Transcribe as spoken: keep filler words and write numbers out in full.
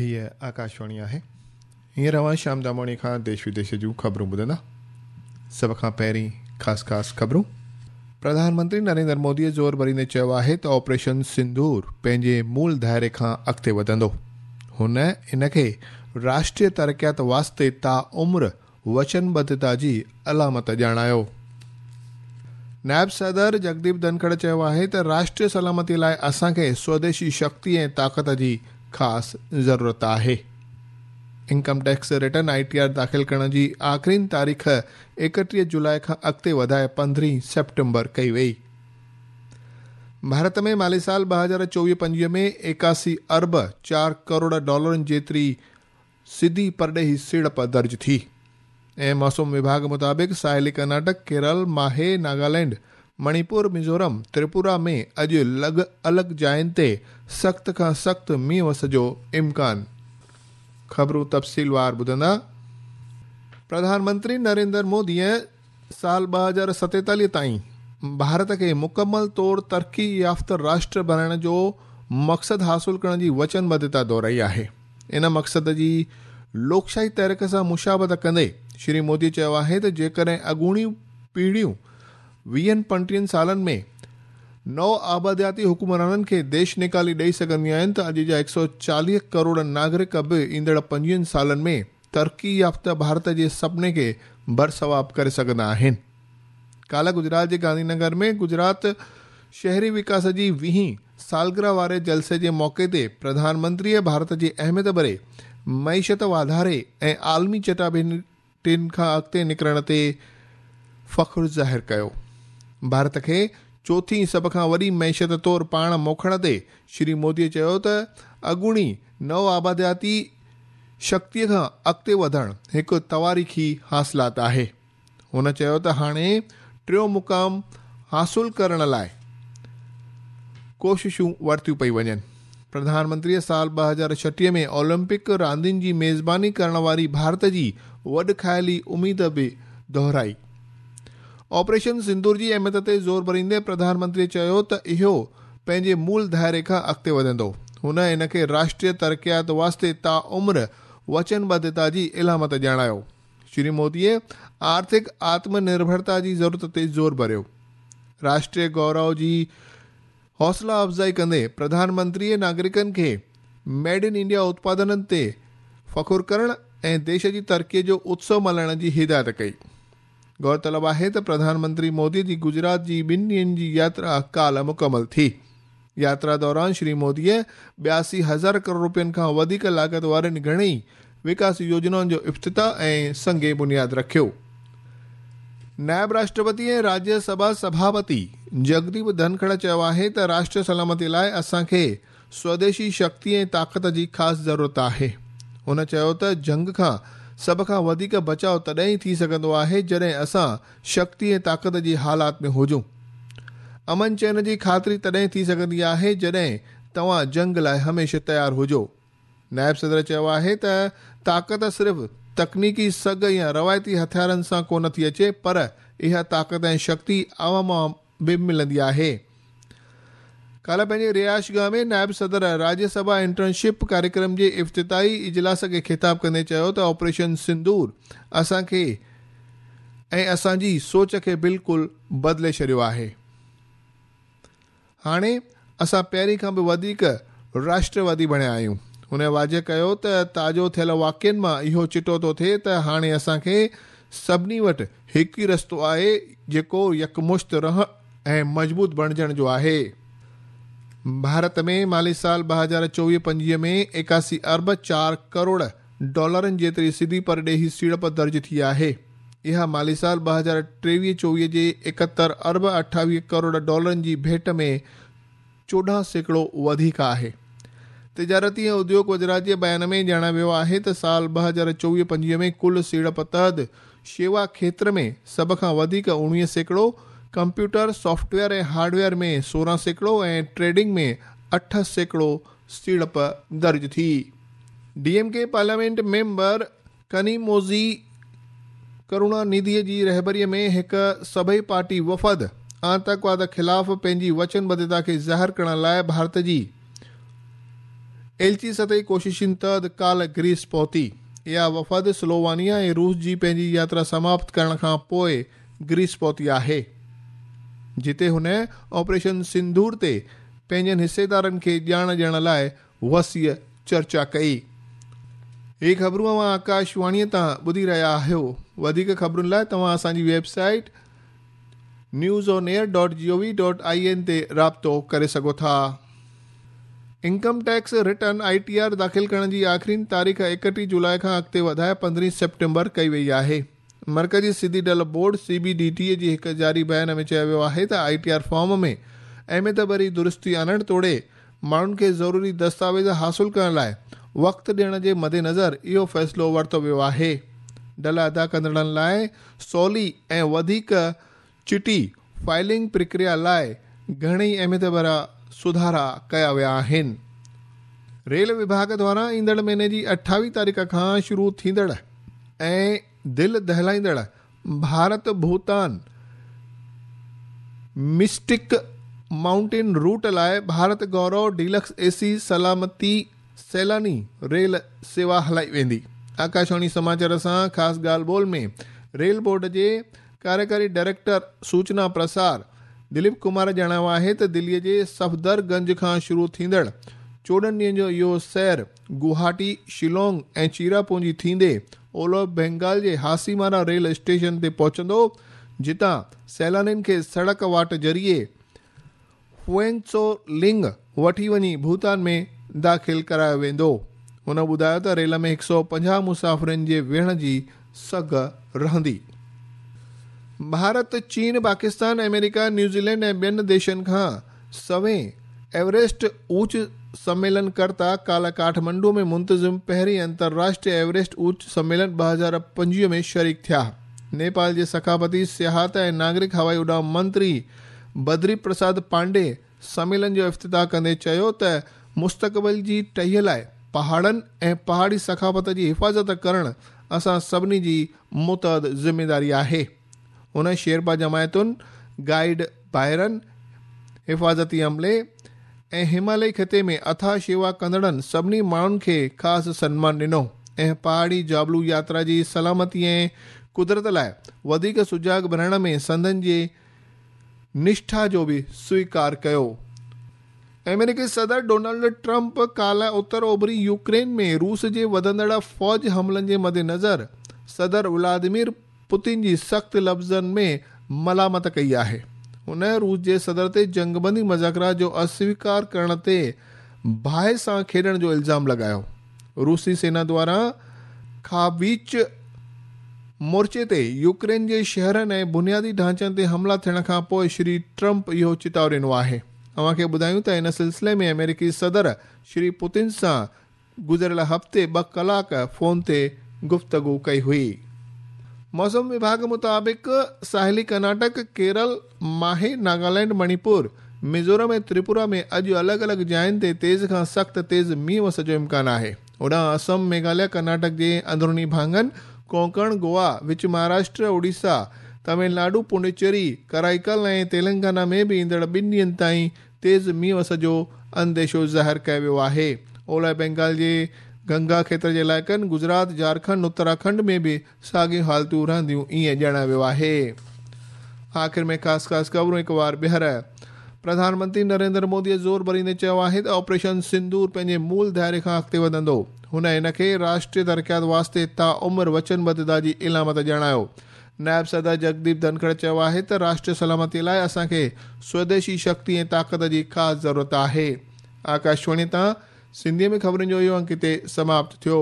हीअ आकाशवाणी आहे। हींअर अव्हां शाम दामोणी खां देश विदेश जूं ख़बरूं ॿुधंदा। सभ खां पहिरीं ख़ासि ख़ासि ख़बरूं। प्रधानमंत्री नरेंद्र मोदीअ ज़ोर भरींदे चयो आहे त ऑपरेशन सिंदूर पंहिंजे मूल दायरे खां अॻिते वधंदो। हुन इन खे राष्ट्रीय तरक़ियात वास्ते ता उम्र वचनबद्धता जी अलामत ॼाणायो। नायब सदर जगदीप धनखड़ चयो आहे त राष्ट्रीय सलामती लाइ असांखे स्वदेशी शक्ति ऐं ताक़त जी ख़ासि ज़रूरत आहे। Income tax return I T R दाख़िल करण जी आख़िरी तारीख़ एकटीह जुलाई खां अॻिते वधाए पंद्रहीं सेप्टेम्बर कई वई। भारत में माली साल ॿ हज़ार चोवीह पंजवीह में एकासी अरब चार करोड़ डॉलरनि जेतिरी सिधी परॾेही सीड़प दर्ज थी। ऐं मौसम विभाग मुताबिक़ साहिली कर्नाटक, केरल, माहे, नागालैंड, मणिपुर, मिज़ोरम, त्रिपुरा में अॼु लॻ अलॻि जाइनि ते सख़्त खां सख़्तु मींहुं वस जो इम्कान। ख़बरूं तफ़सीलवार ॿुधंदा। प्रधानमंत्री नरेंद्र मोदीअ साल ॿ हज़ार सतेतालीह ताईं भारत खे मुकमल तौर तरक़ी याफ़्त राष्ट्र बणाइण जो मक़सदु हासिल करण जी वचनबद्धता दोहराई आहे। इन मक़सद जी लोकशाही तहरीक सां मुशाबत कंदे श्री मोदी चयो आहे त जेकॾहिं अॻूणियूं पीढ़ियूं वीहनि पंटीहनि सालनि में नव आबादियाती हुक्मराननि खे देश निकाली ॾेई सघंदियूं आहिनि त अॼु जा हिकु सौ चालीह करोड़ नागरिक बि ईंदड़ पंजवीहनि सालनि में तरक़ी याफ़्त भारत जे सपने खे बरसवाब करे सघंदा आहिनि। काल्ह गुजरात जे गांधीनगर में गुजरात शहरी विकास जी वीहीं सालगिरह वारे जलसे जे मौक़े ते प्रधानमंत्रीअ भारत जी अहमियत भरे मईशत वाधारे ऐं आलमी चटाभेटियुनि खां अॻिते निकिरण ते फ़ख़्रु ज़ाहिर कयो। भारत खे चोथी सभ खां वॾी मईशत तौर पाण मोखण ते श्री मोदीअ चयो त अॻूणी नव आबादियाती शक्तीअ खां अॻिते वधणु हिकु तवारीख़ी हासिलात आहे। हुन चयो त हाणे टियों मुक़ाम हासिल करण लाइ कोशिशूं वरितियूं पई वञनि। प्रधानमंत्रीअ साल ॿ हज़ार छटीह में ओलंपिक रांदियुनि जी मेज़बानी करण वारी भारत जी वॾ खायली उमेद बि दोहराई। ऑपरेशन सिंदूर जी अहमियत ते ज़ोर भरींदे प्रधानमंत्रीअ चयो त इहो पंहिंजे मूल दायरे खां अॻिते वधंदो। हुन इन खे राष्ट्रीय तरक़ियात वास्ते ता उम्र वचनबद्धता जी अलामत ॼाणायो। श्री मोदीअ आर्थिक आत्मनिर्भरता जी ज़रूरत ते ज़ोर भरियो। राष्ट्रीय गौरव जी हौसला अफ़ज़ाई कंदे प्रधानमंत्रीअ नागरिकनि खे मेड इन इंडिया उत्पादननि ते फ़ख़ुरु करण ऐं देश जी तरक़ीअ जो उत्सव मल्हाइण जी हिदायत कई। गौरतलब आहे त प्रधानमंत्री मोदी जी गुजरात जी ॿिनि ॾींहनि जी यात्रा काल्ह मुकमल थी। यात्रा दौरान श्री मोदीअ ॿियासी हज़ार करोड़ रुपयनि खां वधीक लागत वारनि घणेई विकास योजनाउनि जो इफ़्तिताह ऐं संगे बुनियाद रखियो। नायब राष्ट्रपति ऐं राज्यसभा सभापति जगदीप धनखड़ चयो आहे त राष्ट्रीय सलामती लाइ असांखे स्वदेशी शक्ति ऐं ताक़त जी ख़ासि ज़रूरत आहे। हुन चयो त जंग खां सभ खां वधीक बचाव तॾहिं ई थी सघंदो आहे जॾहिं असां शक्ति ऐं ताक़त जी हालात में हुजूं। अमन चैन जी ख़ातिरी तॾहिं थी सघंदी आहे जॾहिं तव्हां जंग लाइ हमेशह तयारु हुजो। नायब सदर चयो आहे त ताक़त सिर्फ़ तकनीकी सघ या रवायती हथियारनि सां कोन थी अचे, पर इहा ताक़त ऐं शक्ति आवाम मां बि मिलंदी आहे। काल्ह पंहिंजे रिहाइशगाह में नायब सदर राज्यसभा इंटर्नशिप कार्यक्रम जे इफ़्तिताही इजलास खे ख़िताब कंदे चयो त ऑपरेशन सिंदूर असांखे ऐं असांजी सोच खे बिल्कुलु बदिले छॾियो आहे। हाणे असां पहिरीं खां बि वधीक राष्ट्रवादी बणिया आहियूं। हुन वाज़े कयो त ताज़ो थियल वाक़ियनि मां इहो चिटो थो थिए त हाणे असांखे सभिनी वटि हिकु ई रस्तो आहे जेको यकमुश्त रहण ऐं मज़बूत बणिजण जो आहे। भारत में माली साल ॿ हज़ार चोवीह पंजवीह में एकासी अरब चार करोड़ डॉलरनि जेतिरी सिधी परॾेही सीड़प दर्ज थी आहे। इहा माली साल ॿ हज़ार टेवीह चोवीह जे एकहतरि अरब अठावीह करोड़ डॉलरनि जी भेंट में चोॾहं सैकड़ो वधीक आहे। तिजारती ऐं उद्योग वज़ारत जे बयान में ॼाणायो वियो आहे त साल ॿ हज़ार चोवीह पंजवीह में कुल सीड़प तहत शेवा क्षेत्र में सभ खां वधीक उणिवीह सैकड़ो, कंप्यूटर सॉफ्टवेयर ऐं हार्डवेयर में सोरहं सैकड़ो ऐं ट्रेडिंग में अठ सैकड़ो सीड़प दर्ज थी। D M K parliament member Kanimozhi Karunanidhi जी रहबरीअ में हिकु सभई पार्टी वफ़द आतंकवाद ख़िलाफ़ पंहिंजी वचनबद्धता खे ज़ाहिर करण लाइ भारत जी ايلچي سطحي ڪوششن تحت ڪالهه گريس پهتي. اها وفد سلووانيا ۽ روس جي پنهنجي ياترا سماپت ڪرڻ کان پوءِ گريس پهتي آهي، جتي هن آپريشن سنڌور تي پنهنجن حصيدارن کي ڄاڻ ڏيڻ لاءِ وسيع چرچا ڪئي. هي خبرون اوهان آڪاشواڻيءَ تان ٻڌي رهيا آهيو. وڌيڪ خبرن لاءِ توهان اسان جي website news on air dot G O V dot I N تي رابطو ڪري سگهو ٿا. Income tax return I T R داخل ڪرڻ جي آخرين تاريخ ايڪٽيهه جولاءِ کان اڳتي وڌائي پندرهين سيپٽمبر ڪئي وئي آهي. مرڪزي سڌي ڍل board C B D T جي هڪ جاري بيان ۾ چيو ويو آهي ته I T R form ۾ اهميت ڀري درستي آڻڻ توڙي ماڻهن کي ضروري دستاويز حاصل ڪرڻ لاءِ وقت ڏيڻ جي مدنظر اهو فيصلو ورتو ويو آهي. ڍل ادا ڪندڙن لاءِ سولي ۽ وڌيڪ چٽي فائلنگ پرڪريا لاءِ گهڻيئي اهميت ڀريا سڌارا ڪيا ويا آهن. ريل وڀاڳ دواران ايندڙ مهيني جي اٺاويهه تاريخ کان شروع ٿيندڙ ۽ دل دهلائيندڙ Bharat Bhutan mystic mountain route لاءِ ڀارت گورو ڊيلڪس اي سي سلامتي سيلاني ريل سيوا هلائي ويندي. آڪاشواڻي سماچار سان خاص ڳالهه ٻولهه ۾ ريل بورڊ جي ڪاريڪاري ڊائريڪٽر سوچنا پرسار دليپ ڪمار ڄاڻايو آهي ته دليءَ جي صفدرگنج کان شروع ٿيندڙ چوڏهن ڏينهن جو اهو سير گوهاٽي، شيلانگ ۽ چيراپونجي ٿيندي اولهه بينگال جي هاسيمارا ريل اسٽيشن تي پهچندو، جتان سيلانين کي سڙڪ واٽ ذريعي فوئنسولنگ وٺي وڃي ڀوٽان ۾ داخل ڪرايو ويندو. هن ٻڌايو ته ريل ۾ هڪ سؤ پنجاهه مسافرن جي ويهڻ جي سگهه رهندي. ڀارت، چين، پاڪستان، آمريڪا، نيوزيلينڊ ۽ ٻين ديشن کان سوين ايوريسٽ اوچ سميلن ڪرتا ڪالهه ڪاٺمانڊو ۾ منتظم پهرين انترراشٽريه ايوريسٽ اوچ سميلن ٻه هزار پنجويهه ۾ شريڪ ٿيا. نيپال جي ثقافتي، سياحت ۽ ناگرڪ هوائي اڏام منتري بدري پرساد پانڊي سميلن جو افتتاح ڪندي چيو ته مستقبل جي ٽهيءَ لاءِ پهاڙن ۽ پهاڙي ثقافت جي حفاظت ڪرڻ اسان سڀني جي متحد ذميداري آهي. هن شيرپا جماعتن، گائيڊ ڀائرن، حفاظتي عملي ۽ هماليه خطي ۾ اٿاهه شيوا ڪندڙن سڀني ماڻهن کي خاص سنمان ڏنو ۽ پهاڙي جابلو ياترا جي سلامتي ۽ قدرت لاءِ وڌيڪ سجاڳ بڻائڻ ۾ سندن جي نشٺا جو به سويڪار ڪيو. آمريڪي صدر ڊونلڊ ٽرمپ ڪالهه اتر اوڀري يوڪرين ۾ روس جي وڌندڙ فوج حملن جي مدنظر صدر ولاديمير پوتن جي سخت لفظن ۾ ملامت ڪئي آهي. هن روس جي صدر تي جنگبندي مذاڪرات جو اسويڪار ڪرڻ تي باهه سان کيڏڻ جو الزام لڳايو. روسي سينا دواران کاويچ مورچي تي يوڪرين جي شهرن ۽ بنيادي ڍانچن تي حملا ٿيڻ کان پوءِ شري ٽرمپ اهو چتاءُ ڏنو آهي. اوهان کي ٻڌايون ته ان سلسلي ۾ آمريڪي صدر شري پوتن سان گذريل هفتي ٻه ڪلاڪ فون تي گفتگو ڪئي هئي. موسم وڀاڳ مطابق ساحلي ڪرناٽڪ، ڪيرل، ماهي، ناگالينڊ، مڻيپور، ميزورم ۽ تريپورا ۾ اڄ الڳ الڳ جاين تي تيز کان سخت تيز مينهن وس جو امڪان آهي. هوڏانهن اسم، ميگهاليه، ڪرناٽڪ جي اندروني ڀاڱن، ڪونڪڻ، گوا، وچ مهاراشٽر، اوڙيسا، تامل ناڊو، پڊوچيري، ڪرائيڪل ۽ تيلنگانا ۾ به ايندڙ ٻن ڏينهن تائين تيز مينهن وس جو انديشو ظاهر ڪيو ويو آهي. اولهه بينگال جي گنگا کيتر جي علائقن، گجرات، جهارکنڊ، اتراکنڊ ۾ به ساڳيون حالتون رهنديون ائين ڄاڻايو ويو آهي. آخر ۾ خاص خاص خبرون هڪ وار ٻيهر. پرڌان منتري نريندر موديءَ زور ڀريندي چيو آهي ته آپريشن سندور پنهنجي مول دائري کان اڳتي وڌندو. هن هن کي راشٽريه ترقيات واسطي تا عمر وچنبڌتا جي علامت ڄاڻايو. نائب صدر جگديپ ڌنکڙ چيو آهي ته راشٽريه سلامتي لاءِ اسان کي سوديشي شڪتي ۽ طاقت جي خاص ضرورت آهي. آڪاشواڻي تان سنڌيءَ ۾ خبرن جو اهو انڪ هتي سماپت ٿيو.